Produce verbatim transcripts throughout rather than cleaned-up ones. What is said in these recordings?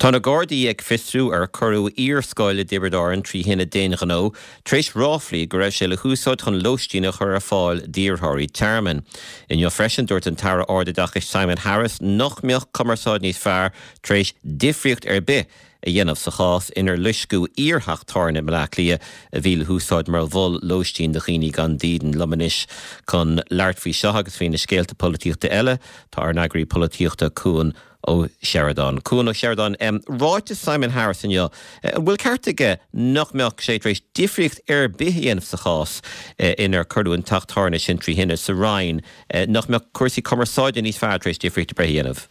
Tá na Gardaí ag fiosrú ar cuireadh iarscoil i dTiobraid Árann trí thine d'aon ghnó tar éis ráflaí go raibh sé le húsáid chun lóistín a chur ar fáil d'iarrthóirí tearmainn. Inniu freisin dúirt an tAire Ardoideachais Simon Harris nach mbeadh cumarsáid níos fearr tar éis difríocht ar bith a dhéanamh sa chás inar loisceadh iartheach tábhairne i mBaile Átha Cliath a bhí le húsáid mar mhol lóistín do dhaoine gan dídean liom anois chun labhairt faoi seo agus faoi na scéalta polaitíochta eile tá ár n-eagraí polaitíochta Cuan Ó Seireadáin. Cuan Ó Seireadáin um, ráiteas Simon Harris inniu an bhfuil ceart aige nach mbeadh sé tar éis difríocht ar bith a dhéanamh sa chás eh, inar cuireadh an teach tábhairne sin trí thine sa Rinn eh, nach mbeadh cúrsaí cumarsáide níos fearr tar éis difríocht ar bith a dhéanamh.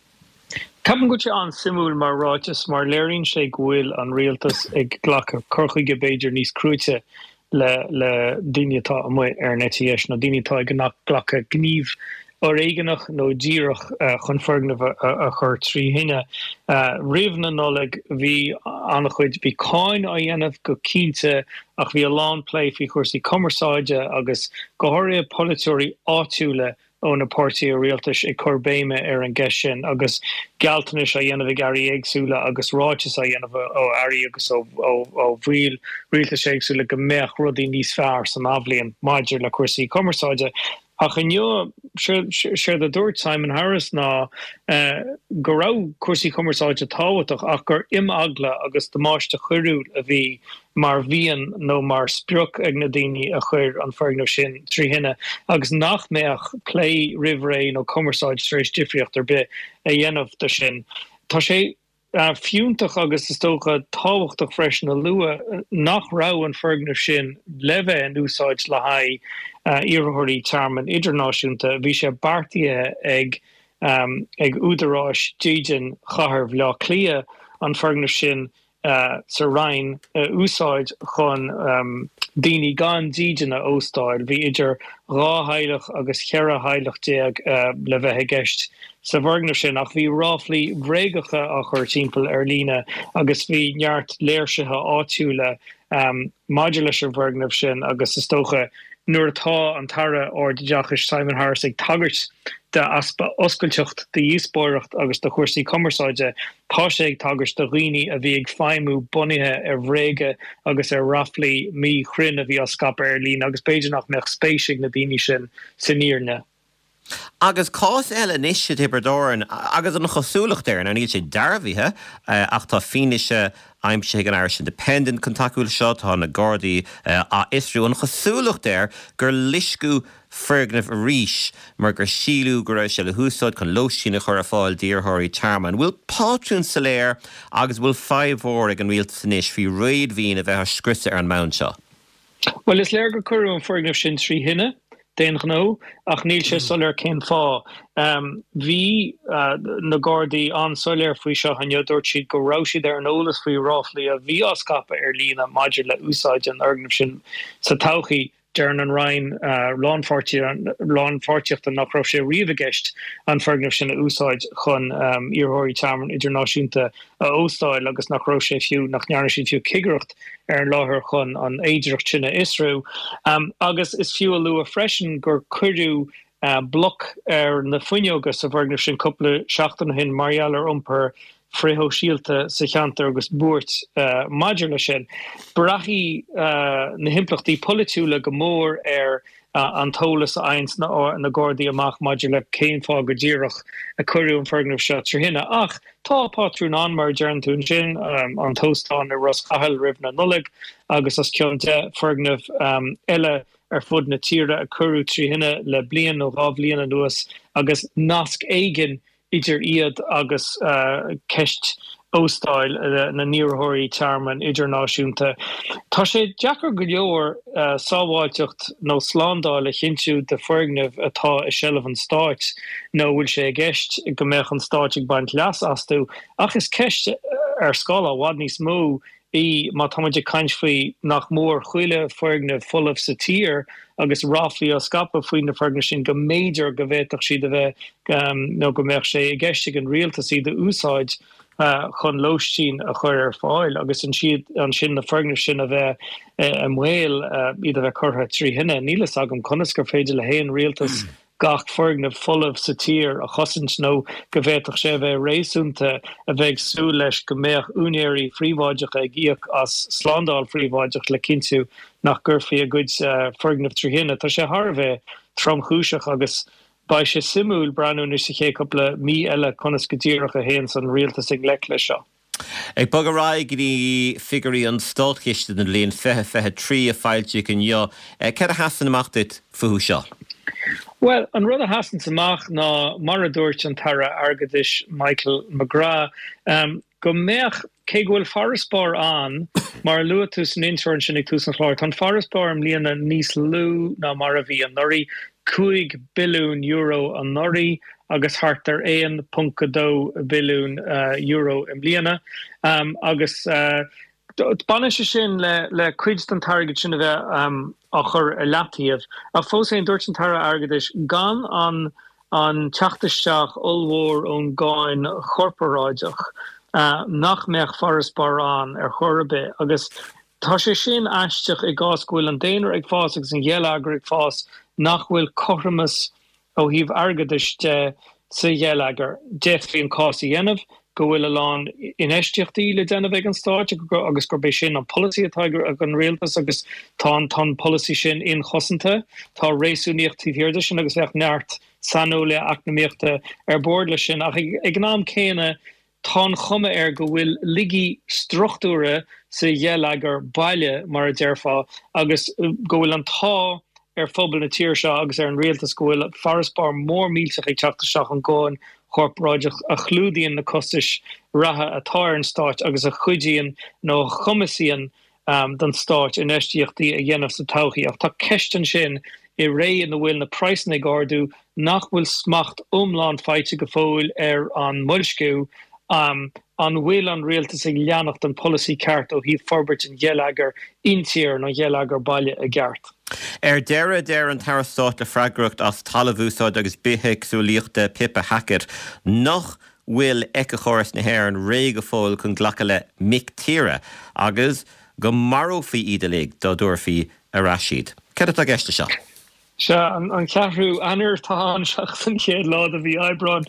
Ceapaim go bhfuil sé an-suimiúil mar ráiteas mar léiríonn sé go bhfuil an rialtas ag glacadh cur chuige b'fhéidir níos cruaite le le daoine atá amuigh ar an eite dheis nó daoine atá ag nach glacadh gníomh foréigeanach nó díreach uh, chun foirgneamh a, a chur trí thine. Uh, Roimh na Nollag bhí an-chuid bhí cáineadh á dhéanamh go cinnte ach bhí a lán plé faoi chúrsaí cumarsáide agus go háirithe polaiteoirí áitiúla ó na páirtithe rialtais ag cur béime ar an gceist sin agus gealltanais á dhéanamh ag airí éagsúla agus ráiteas á dhéanamh ó airí agus ó bhaill rialtais éagsúla go mbeadh rudaí níos fearr san athbhliain maidir le cúrsaí cumarsáide. Ach inniu sé a dúirt Simon Harris ná uh, go raibh cúrsaí cumarsáide tábhachtach ach gur imeagla agus damáiste coiriúil a bhí mar mhian nó mar sprioc ag na daoine a chuir an foirgneamh sin trí thine agus nach mbeadh plé roimh ré nó cumarsáid tar éis difríocht ar bith a dhéanamh de sin. Tá sé uh, fiúntach agus is dócha tábhachtach freisin a lua nach raibh an foirgneamh sin le bheith in úsáid le haghaidh uh, iarrthóirí tearmainn idirnáisiúnta, bhí sé beartaithe ag um, ag údaráis dídean chathair Bhaile Átha Cliath an foirgneamh sin uh, sa Rinn uh, úsáid chun um, daoine gan dídean a óstáil, bhí idir dhá theaghlach agus ceithre theaghlach déag uh, le bheith i gceist sa bhfoirgneamh sin ach bhí ráflaí bréagacha á chur timpeall ar líne agus bhí neart léirsithe áitiúla um, maidir leis an bhfoirgneamh sin agus is dócha nuair atá an tAire Ardoideachais Simon Harris ag tagairt d'easpa oscailteacht de dhíospóireacht agus de chúrsaí cumarsáide tá sé ag tagairt do dhaoine a bhí ag feidhmiú bunaithe ar bhréaga agus ar ráflaí míchruinne a bhí á scaipeadh ar líne agus b'fhéidir nach mbeadh spéis ag na daoine sin san fhírinne. Agus cás eile anois i dTiobraid Árann agus an chosúlacht air níl sé dearbhaithe ach tá fianaise aimsithe ag an Irish Independent chun tacú seo tá na Gardaí á fhiosrú an chosúlacht air gur loisceadh foirgneamh arís mar gur síleadh go raibh sé le húsáid chun lóistín a chur ar fáil d'iarrthóirí tearmainn. Bhfuil pátrún soiléir agus bhfuil fadhb mhór ag an rialtas anois faoi réadmhaoin a bheith á scriosadh ar an mbonn seo. Well is léir gur cuireadh an foirgneamh sin trí thine d'aon ghnó ach níl sé soiléir cén fáth. Um, bhí uh, na Gardaí an-soiléir faoi seo inniu dúirt siad go raibh siad ar an eolas faoi ráflaí a bhí á scaipeadh ar líne maidir le úsáid an fhoirgneamh sin sa todhchaí deir an Roinn uh, lánpháirtíochta nach raibh sé riamh i gceist an foirgneamh sin a úsáid chun um, iarrthóirí tearmainn idirnáisiúnta a óstáil agus nach raibh sé fiú nach ndearna siad fiú cigireacht ar an láthair chun an fhéidearthacht sin a fhiosrú. Um, agus is fiú a lua freisin gur cuireadh uh, bloc ar na fuinneoga sa bhfoirgneamh sin cúpla seachtain ó shin mar gheall ar iompar frithshóisialta sa cheantar agus buairt uh, maidir le sin. Braithfidh uh, na himpleachtaí polaitiúla go mór ar uh, an t-eolas a fhaigheann na, na Gardaí amach maidir le cén fáth go díreach a cuireadh an foirgneamh seo trí thine ach tá pátrún ann mar deireann tú sin um, an t-óstán i Ros Cathail roimh na Nollag agus os cionn deich foirgneamh um, eile ar fud na tíre a cuireadh trí thine le bliain nó dhá bhliain anuas agus nasc éigin idir iad agus uh, ceist óstáil uh, na n-iarrthóirí tearmainn idirnáisiúnta. Tá sé deacair go leor uh, sábháilteacht nó slándáil a chinntiú de foirgneamh atá i seilbh an stáit nó bhfuil sé i gceist go mbeadh an stáit ag baint leas astu ach is ceist ar scála i bhfad níos mó í má táimid ag caint faoi nach mór chuile foirgneamh folamh sa tír agus ráflaí á scaipeadh faoi na foirgnimh sin go mb'fhéidir go bhféadfadh siad a bheith um, nó go mbeadh sé i gceist ag an rialtas iad a úsáid uh, chun lóistín a chur ar fáil agus ansiad ansin na foirgnimh sin a bheith uh, i mbaol uh, iad a bheith curtha trí thine. Níl a fhios agam conas gur féidir le haon rialtas gach foirgneamh folamh sa tír a chosaint nó go bhféadfadh sé a bheith réasúnta a bheith ag súil leis go mbeadh úinéirí príobháideacha ag íoc as slándáil phríobháideach le cinntiú nach gcuirfí a gcuid foirgneamh trí thine. Tá sé thar a bheith tromchúiseach agus beidh sé suimiúil breathnú anois sa chéad cúpla mí eile conas go díreach a théann an rialtas i ngleic leis seo. Ag bogadh ar aghaidh go dtí figiúirí an Státchiste don bhliain fiche fiche trí a foilsíodh inniu, céard a sheasann amach duit fúthu seo? Well, an rud a sheasann amach ná mar a dúirt an tAire Airgeadais Michael McGrath um, go mbeadh cé go bhfuil farasbarr ann mar a luaigh tú san intro ansin ag tús an chláir, tá an farasbarr i mbliana níos lú ná mar a bhí anuraidh, cúig billiún euro anuraidh agus thart ar aon ponc a dó billiún euro i mbliana agus baineann sé sin le le cuid den t-airgead sin a bheith á chur i leataobh. Ach fós féin, dúirt an tAire Airgeadais gan an an teacht isteach ollmhór ón gcáin chorparáideach nach mbeadh farasbarr ann ar chor ar bith agus tá sé sin aisteach i gcás go bhfuil an daonra ag fás agus an gheilleagar ag fás nach bhfuil cothromas ó thaobh airgeadais de sa gheilleagar. D'fhéadfaí an cás a dhéanamh go bhfuil a lán infheistíochtaí le déanamh ag an Stát agus gurb é sin an polasaí atá ag an rialtas agus tá an tá an polasaí sin inchosanta. Tá réasúnaíocht taobh thiar de sin agus bheadh neart saineolaithe eacnamaíochta ar bord leis sin ach ag an am céanna tá an chuma air go bhfuil laigí struchtúrtha sa gheilleagar baile, mar a déarfá, agus go bhfuil an t-ádh ar phobal na tíre seo agus ar an rialtas go bhfuil farasbarr mór millteach ag teacht isteach ón gcáin chorparáideach a chlúdaíonn na costais reatha atá ar an Stát agus a chuidíonn nó a chumasaíonn don Stát infheistíochtaí a dhéanamh sa todhchaí. Ach tá ceist ansin i ré ina bhfuil na praghsanna ag ardú nach bhfuil smacht iomlán faighte go fóill ar an mboilsciú, an bhfuil an rialtas ag leanacht an polasaí ceart ó thaobh forbairt an gheilleagair intíre nó an gheilleagar baile i gceart. Ar deireadh, deir an tAire Stáit le freagracht as talamhúsáid agus bithéagsúlaíochta Pippa Hackett nach bhfuil éiceachóras na hÉireann réidh go fóill chun glacadh le mic tíre agus go marófaí iad uilig dá dtabharfaí ar ais iad. Céard atá i gceist leis seo? Sea, an ceathrú Eanáir atá ann seachas an chéad lá de mhí Aibreáin.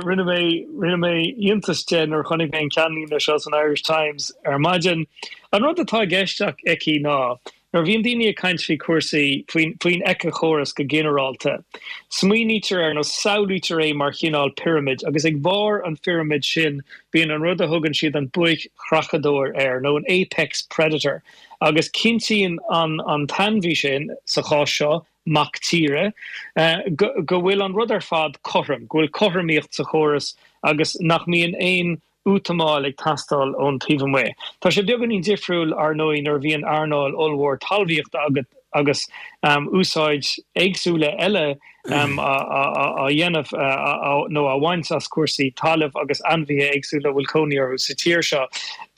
Rinne mé rinne mé iontas de nuair a chonaic mé an ceannlíne seo san Irish Times ar maidin. An rud atá i gceist aici ná nuair a bhíonn daoine ag caint faoi chúrsaí faoin faoin éiceachóras go ginearálta, smaoinítear air nó samhlaítear é mar chineál pirimid agus ag barr an phirimid sin bíonn an rud a thugann siad an buaic-chreachadóir air nó an apex predator agus cinntíonn an an t-ainmhí sin, sa chás seo, mac tíre, go go bhfuil an rud ar fad cothrom, go bhfuil cothromaíocht sa chóras agus nach mbíonn aon útamáil ag teastáil ón taobh amuigh. Tá sé beagáinín difriúil, ar ndóigh, nuair a bhíonn earnáil ollmhór talmhaíochta agat agus úsáid éagsúla eile á dhéanamh nó á bhaint as cúrsaí talaimh agus ainmhithe éagsúla a bhfuil cónaí orthu sa tír seo.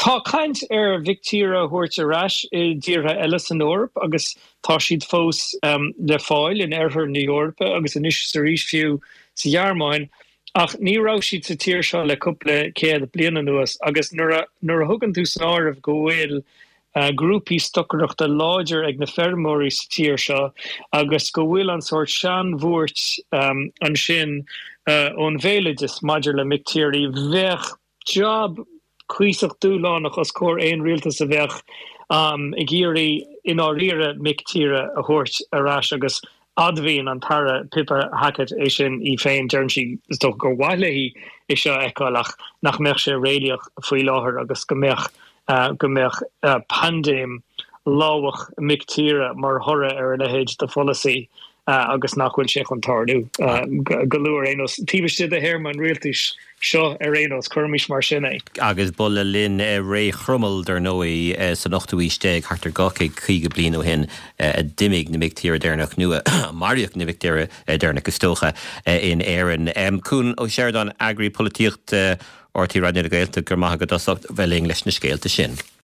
Tá caint ar mhic tíre a thabhairt ar ais i dtíortha eile san Eoraip agus tá siad fós le fáil in oirthear na hEorpa agus anois is arís fiú sa Ghearmáin. Ach ní raibh siad sa tír seo le cúpla céad bliain anuas agus nuair a nuair a thugann tú san áireamh go bhfuil grúpaí stocaireachta láidir ag na feirmeoirí sa tír seo agus go bhfuil an sórt seanbhuairt ansin ón bhéaloideas maidir le mic tíre, bheadh jab cuíosach dúshlánach os comhair aon rialtas a bheadh ag iarraidh i ndáiríre mic tíre a thabhairt ar ais agus admhaíonn an tAire Pippa Hackett é sin í féin. Deireann sí, is dócha, gur mhaith léi é seo a fheiceáil ach nach mbeadh sé réalaíoch faoi láthair agus go mbeadh go mbeadh paindéim lámhach mic tíre mar thoradh ar a leithéid de pholasaí agus nach bhfuil sé chun tarlú go luath ar aon nós, taobh istigh de théarma an rialtais seo ar aon nós, cuirimis mar sin é. Agus ba le linn ré Chromail, dar ndóigh, san ochtú haois déag, thart ar dhá chéad caoga bliain ó shin, a d'imigh na mic tíre deireanach, nó a maraíodh na mic tíre deireanach, is dócha, in Éirinn. Cuan Ó Seireadáin, Eagraí Polaitíochta R T Raidió na Gaeltachta, go raibh maith agat as ucht bheith linn leis na scéalta sin.